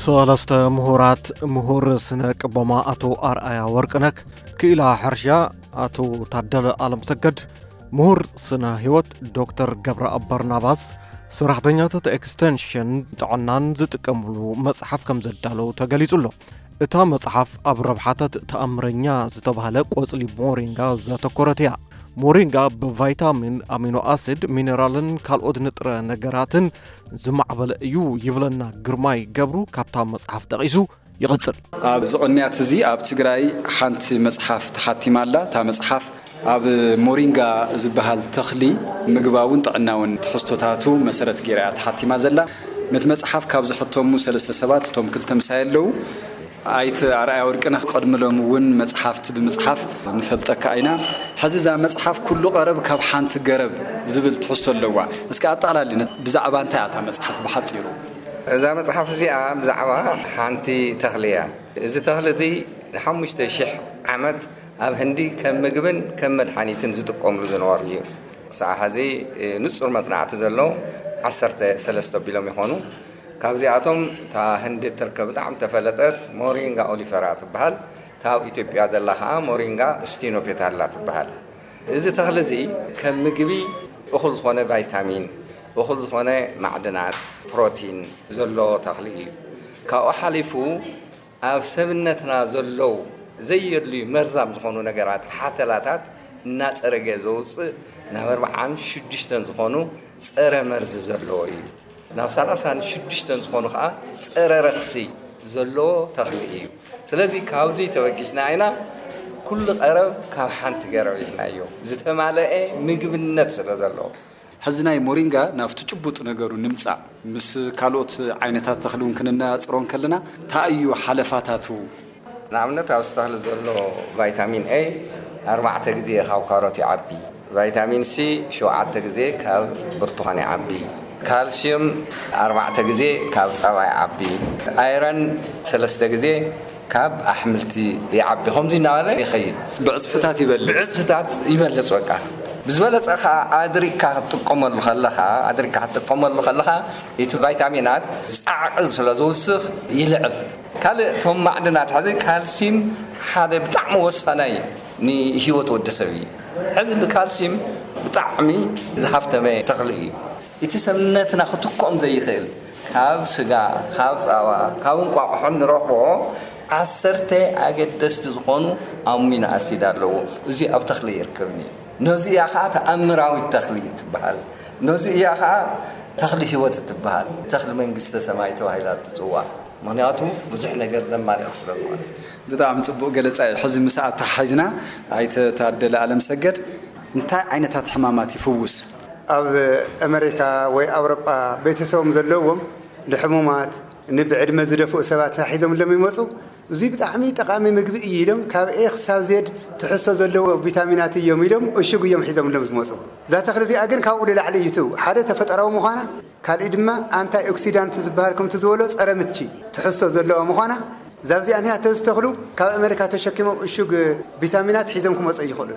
ሰለስተ ምሁራት፣ ምሁር ስነ ቅቦማ ኣቶ ኣርኣያ ወርቅነህ፣ ክኢላ ሕርሻ ኣቶ ታደለ ኣለምሰገድ፣ ምሁር ስነ ህይወት ዶክተር ገብረኣብ በርናባስ፣ ሰራሕተኛታት ኤክስቴንሽን ጥዕናን ዝጥቀምሉ መጽሓፍ ከም ዘዳለዉ ተገሊጹ ኣሎ። እታ መጽሓፍ ኣብ ረብሓታት ተኣምረኛ ዝተባህለ ቆጽሊ ሞሪንጋ ዘተኮረት እያ። ሞሪንጋ ብቫይታሚን፣ ኣሚኖ ኣሲድ፣ ሚነራልን ካልኦት ንጥረ ነገራትን ዝማዕበለ እዩ ይብለና ግርማይ ገብሩ ካብታ መጽሓፍ ጠቒሱ ይቕጽል። ኣብዚ ቅንያት እዚ ኣብ ትግራይ ሓንቲ መጽሓፍ ተሓቲማ ኣላ። እታ መጽሓፍ ኣብ ሞሪንጋ ዝበሃል ተኽሊ ምግባውን ጥዕናውን ትሕዝቶታቱ መሰረት ገይራ እያ ተሓቲማ ዘላ። ነቲ መጽሓፍ ካብ ዝሕተሙ ሰለስተ ሰባት እቶም ክልተ ምሳይ ኣለዉ። ኣይተ ኣርኣያ ወርቅነህ ቅድሚ ሎም እውን መጽሓፍቲ ብምጽሓፍ ንፈልጠካ ኢና። ሕዚ እዛ መጽሓፍ ኩሉ ቀረብ ካብ ሓንቲ ገረብ ዝብል ትሕዝቶ ኣለዋ። እስኪ ኣጠቓላሊ ነ-፣ ብዛዕባ እንታይ እያ እታ መጽሓፍ ብሓጺሩ? እዛ መጽሓፍ እዚኣ ብዛዕባ ሓንቲ ተኽሊ እያ። እዚ ተኽሊ እዚ ንሓሙሽተ ሽሕ ዓመት ኣብ ህንዲ ከም ምግብን ከም መድሓኒትን ዝጥቀምሉ ዝነበሩ እዩ። ክሳዕ ሕዚ፣ እ፣ ንጹር መጽናዕቲ ዘሎ ዓሰርተ ሰለስተ ኣቢሎም ይኾኑ። ካብዚኣቶም እታ ህንዲ እትርከብ ብጣዕሚ ተፈለጠት ሞሪንጋ ኦሊፈራ ትበሃል። እታ ኣብ ኢትዮጵያ ዘላ ኸዓ ሞሪንጋ ስቲኖፔታላ ትበሃል። እዚ ተኽሊ እዚ ከም ምግቢ እኹል ዝኾነ ቫይታሚን፣ እኹል ዝኾነ ማዕድናት፣ ፕሮቲን ዘለዎ ተኽሊ እዩ። ካብኡ ሓሊፉ ኣብ ሰብነትና ዘለዉ ዘየድልዩ መርዛም ዝኾኑ ነገራት፣ ሓተላታት እናጸረገ ዘውጽእ ናብ ኣርባዓን ሽዱሽተን ዝኾኑ ጸረ መርዚ ዘለዎ እዩ። ናብ ሰላሳን ሽዱሽተን ዝኾኑ ኸዓ ጸረ ረኽሲ ዘለዎ ተኽሊ እዩ። ስለዚ ካብዚ ተበጊስና ኢና ኩሉ ቀረብ ካብ ሓንቲ ገረብ ኢልናዮ። ዝተማለአ ምግብነት ስለ ዘለዎ። ሕዚ ናይ ሞሪንጋ ናብቲ ጭቡጥ ነገሩ ንምጻእ፣ ምስ ካልኦት ዓይነታት ተኽሊ እውን ክንነጻጽሮ እንከለና፣ እንታይ እዩ ሓለፋታቱ? ንኣብነት፣ ኣብዚ ተኽሊ ዘሎ ቫይታሚን ኤ ኣርባዕተ ግዜ ካብ ካሮት ይዓቢ። ቫይታሚን ሲ ሸውዓተ ግዜ ካብ ብርቱኻን ይዓቢ። ካልሲየም ኣርባዕተ ግዜ ካብ ጸባ ይዓቢ። ኣይረን ሰለስተ ግዜ ካብ ኣሕምልቲ ይዓቢ። ከምዚ እናበለ ይኸይድ። ብዕጽፍታት ይበልጽ። ብዕጽፍታት ይበልጽ። በቃ፣ ብዝበለጸ ኸዓ ኣድሪካ ክትጥቀመሉ ከለኻ፣ ኣድሪካ ክትጥቀመሉ ከለኻ፣ እቲ ቫይታሚናት ጻዕቂ ስለ ዝውስኽ ይልዕል። ካልእ፣ እቶም ማዕድናት፣ ሕዚ ካልሲም ሓደ ብጣዕሚ ወሳናይ ንህይወት ወዲ ሰብ እዩ። ሕዚ ብካልሲም ብጣዕሚ ዝሃፍተመ ተኽሊ እዩ። እቲ ሰብነትና ክትክኦም ዘይኽእል፣ ካብ ስጋ፣ ካብ ጸባ፣ ካብ እንቋቑሖ ንረኽቦ ዓሰርተ ኣገደስቲ ዝኾኑ ኣሚኖ ኣሲድ ኣለዎ። እዚ ኣብ ተኽሊ ኣይርከብን እዩ። ነዚ እያ ኸዓ ተኣምራዊት ተኽሊ እትበሃል። ነዚ እያ ኸዓ ተኽሊ ህይወት እትበሃል። ተኽሊ መንግስተ ሰማይ ተባሂላ እትጽዋዕ። ምኽንያቱ ብዙሕ ነገር ዘማልእ ስለ ዝኾነ። ብጣዕሚ ጽቡቕ ገለጻ እዩ። ሕዚ ምስ ኣተሓሒዝና፣ ኣይተ ታደለ ኣለምሰገድ፣ እንታይ ዓይነታት ሕማማት ይፍውስ? ኣብ ኣመሪካ ወይ ኣውሮጳ ቤተሰቦም ዘለዎም ንሕሙማት፣ ንብዕድመ ዝደፍኡ ሰባት እንታይ ሒዞምሎም ይመጹ? እዙይ ብጣዕሚ ጠቓሚ ምግቢ እዩ ኢሎም ካብ ኤ ክሳብ ዜድ ትሕዝቶ ዘለዎ ቪታሚናት እዮም ኢሎም እሹግ እዮም ሒዞምሎም ዝመጹ። እዛ ተኽሊ እዚኣ ግን ካብኡ ንላዕሊ እዩ። እቲ ሓደ ተፈጠራዊ ምዃና፣ ካልእ ድማ ኣንታይ ኦክሲዳንት ዝበሃል ከምቲ ዝበሎ ጸረ ምቺ ትሕዝቶ ዘለዋ ምዃና፣ እዛ እዚኣ እኒኣ ተዝተኽሉ ካብ ኣመሪካ ተሸኪሞም እሹግ ቪታሚናት ሒዞም ክመጹ ይኽእሉ።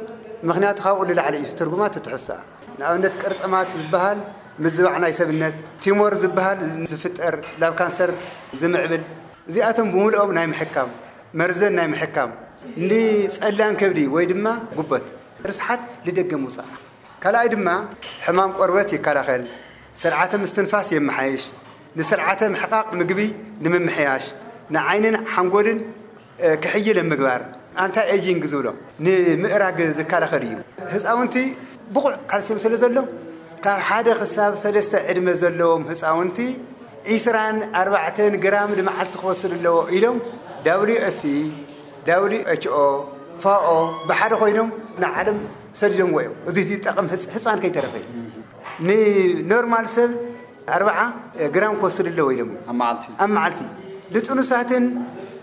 ምኽንያቱ ካብኡ ንላዕሊ እዩ ትርጉማ እቲ ትሕዝቶኣ። ንኣብነት ቅርጥማት ዝበሃል ምዝባዕ ናይ ሰብነት፣ ቲሞር ዝበሃል ዝፍጠር ናብ ካንሰር ዝምዕብል፣ እዚኣቶም ብምልኦም ናይ ምሕካም፣ መርዘን ናይ ምሕካም፣ ንጸላም ከብዲ ወይ ድማ ጉበት፣ ርስሓት ንደገ ምውጻእ። ካልኣይ ድማ ሕማም ቆርበት ይከላኸል፣ ስርዓተ ምስትንፋስ የመሓይሽ፣ ንስርዓተ ምሕቃቕ ምግቢ ንምምሕያሽ፣ ንዓይንን ሓንጎልን እ፣ ክሕይል ኣብ ምግባር፣ ኣንታይ ኤጂንግ ዝብሎ ንምእራግ ዝከላኸል እዩ። ህፃውንቲ ብቑዕ ካልሲየም ስለ ዘሎ፣ ካብ ሓደ ክሳብ ሰለስተ ዕድመ ዘለዎም ህፃውንቲ ዒስራን ኣርባዕተን ግራም ንመዓልቲ ክወስድ ኣለዎ ኢሎም ደብሊው ኤፍ ፒ፣ ደብሊው ኤች ኦ፣ ፋኦ ብሓደ ኮይኖም ንዓለም ሰዲዶምዎ እዮም። እዚ ዝጠቕም ህፅ-፣ ህፃን ከይተረፈ እዩ። ንኖርማል ሰብ ኣርብዓ ግራም ክወስድ ኣለዎ ኢሎም እዮም። ኣብ መዓልቲ? ኣብ መዓልቲ። ንጥኑሳትን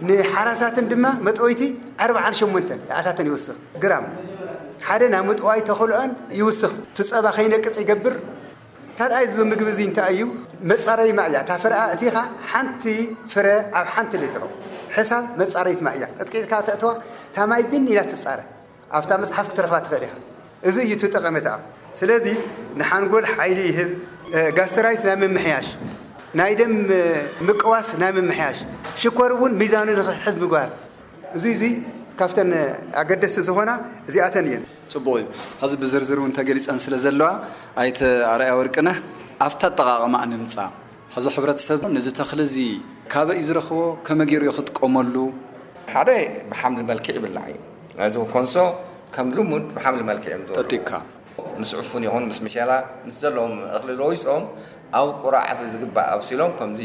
ንሓራሳትን ድማ መጥወይቲ ኣርብዓን ሸሞንተን ኣታተን ይውስኽ ግራም። ሓደ ናብ ምጥዋይ ተኽእሎአን ይውስኽ። እቲ ጸባ ከይነቅጽ ይገብር። ካልኣይ እዚ ምግቢ እዚ እንታይ እዩ? መጻረይ ማይ እያ። እታ ፍረኣ እቲኻ ሓንቲ ፍረ ኣብ ሓንቲ ሌትሮ ሕሳብ መጻረይት ማይ እያ። ቀጥቂጥካ ተእትዋ፣ እታ ማይ ብን ኢላ ትጻረ። ኣብታ መጽሓፍ ክትረኽባ ትኽእል ኢኻ። እዚ እዩ እቲ ጠቐሜታኣ። ስለዚ ንሓንጎል ሓይሊ ይህብ፣ እ፣ ጋስትራይት ናይ ምምሕያሽ፣ ናይ ደም ምቅዋስ፣ ናይ ምምሕያሽ፣ ሽኮር እውን ሚዛኑ ንክሕዝ ምግባር። እዚ እዚ ካብተን ኣገደስቲ ዝኾና እዚኣተን እየን። ጽቡቕ እዩ። ሕዚ ብዝርዝር እውን ተገሊጸን ስለ ዘለዋ ኣይተ ኣርኣያ ወርቅነህ ኣብታ ኣጠቓቕማ ንምጻ። ሕዚ ሕብረተሰብ ነዚ ተኽሊ እዚ ካበይ እዩ ዝረኽቦ? ከመይ ገይሩ እዩ ክጥቀመሉ? ሓደ ብሓምሊ መልክዕ ይብላዕ እዩ። እዚ ኮንሶ ከም ልሙድ ብሓምሊ መልክዕ እዮም ዝወቅዑ። ጠጢካ። ምስ ዕፉን ይኹን ምስ ምሸላ ምስ ዘለዎም እኽሊ ለዊሶም ኣብ ቁራዕ ዝግባእ ኣብሲሎም ከምዚ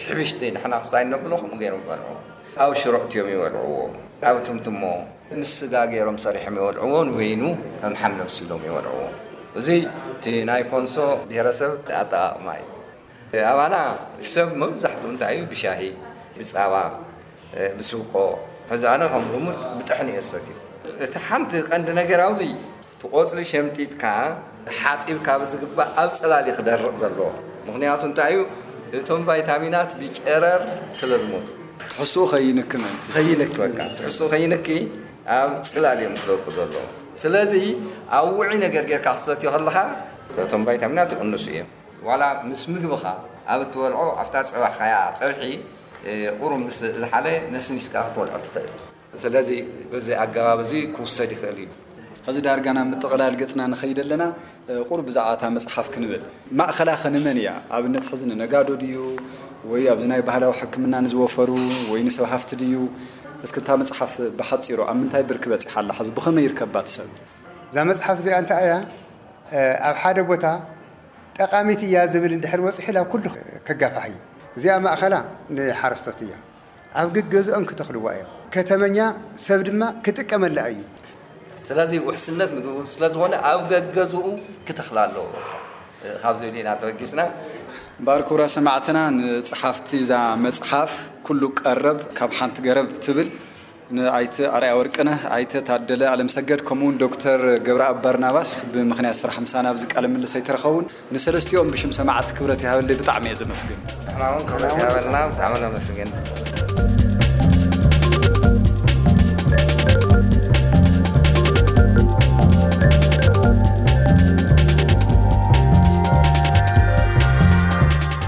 ሕብሽቲ ንሕና ክስታይ ነብሎ ከምኡ ገይሮም ይበልዑ። ኣብ ሽሮ እትዮም ይበልዕዎ። ኣብ ትምትሞ ምስ ስጋ ገይሮም ሰሪሖም ይበልዕዎ። ንበይኑ ከም ሓምሊ ኣብሲሎም ይበልዕዎ። እዚ እቲ ናይ ኮንሶ ብሄረሰብ ኣጠቓቕማ እዩ። ኣባና እቲ ሰብ መብዛሕትኡ እንታይ እዩ ብሻሂ ብፃባ ብስብቆ ሕዚ ኣነ ከም ልሙድ ብጥሕኒ እየ ሰትዩ። እቲ ሓንቲ ቀንዲ ነገር ኣብዚ እቲ ቆፅሊ ሸምጢጥካ ሓፂብካ ብዝግባእ ኣብ ፅላል እዩ ክደርቕ ዘለዎ። ምክንያቱ እንታይ እዩ እቶም ቫይታሚናት ብጨረር ስለ ዝሞቱ ትሕዝትኡ ከይንኪ ምእንቲ። ከይንኪ በቃ ትሕዝትኡ ከይንኪ ኣብ ፅላል እዮም ክደርቁ ዘለዎ። ስለዚ ኣብ ውዑይ ነገር ጌርካ ክትሰትዮ ከለካ እቶም ቫይታሚናት ይቕንሱ እዮም። ዋላ ምስ ምግብኻ ኣብ እትበልዖ ኣብታ ዝፀባሕካያ ፀብሒ ቁሩብ ምስ ዝሓለ ነስኒስካ ክትበልዖ ትኽእል። ስለዚ በዚ ኣገባብ እዚ ክውሰድ ይኽእል እዩ። ሕዚ ዳርጋ ናብ ምጥቕላል ገፅና ንኸይድ ኣለና። ቁሩብ ብዛዕባ እታ መፅሓፍ ክንብል። ማእኸላ ኸ ንመን እያ? ኣብነት ሕዚ ንነጋዶ ድዩ ወይ ኣብዚ ናይ ባህላዊ ሕክምና ንዝወፈሩ ወይ ንሰብ ሃፍቲ ድዩ? እስኪ እታ መፅሓፍ ብሓፂሩ ኣብ ምንታይ ብርኪ በፂሓ ኣላ? ሕዚ ብኸመይ ይርከባ እቲ ሰብ? እዛ መፅሓፍ እዚኣ እንታይ እያ? ኣብ ሓደ ቦታ ጠቓሚት እያ ዝብል እንድሕር በፂሑ ናብ ኩሉ ከጋፋሕ እዩ። እዚኣ ማእኸላ ንሓረስቶት እያ። ኣብ ገገዝኦም ክተኽልዋ እዮም። ከተመኛ ሰብ ድማ ክጥቀመላ እዩ። ስለዚ ውሕስነት ምግቢ እውን ስለዝኾነ ኣብ ገገዝኡ ክተኽላ ኣለዎ። ካብ ዝብል ኢና ተበጊስና። እምበኣር ክቡራት ሰማዕትና ንፀሓፍቲ እዛ መፅሓፍ ኩሉ ቀረብ ካብ ሓንቲ ገረብ ትብል ንኣይተ ኣርኣያ ወርቅነህ፣ ኣይተ ታደለ ኣለምሰገድ ከምኡውን ዶክተር ገብረኣብ በርናባስ ብምኽንያት ስራሕ ምሳና ኣብዚ ቃለ ምልልስ ኣይተረኸቡን። ንሰለስቲኦም ብሽም ሰማዕቲ ክብረት ይሃበለይ፣ ብጣዕሚ እየ ዘመስግን። ንሕና እውን ክብረት ይሃበልና፣ ብጣዕሚ ነመስግን።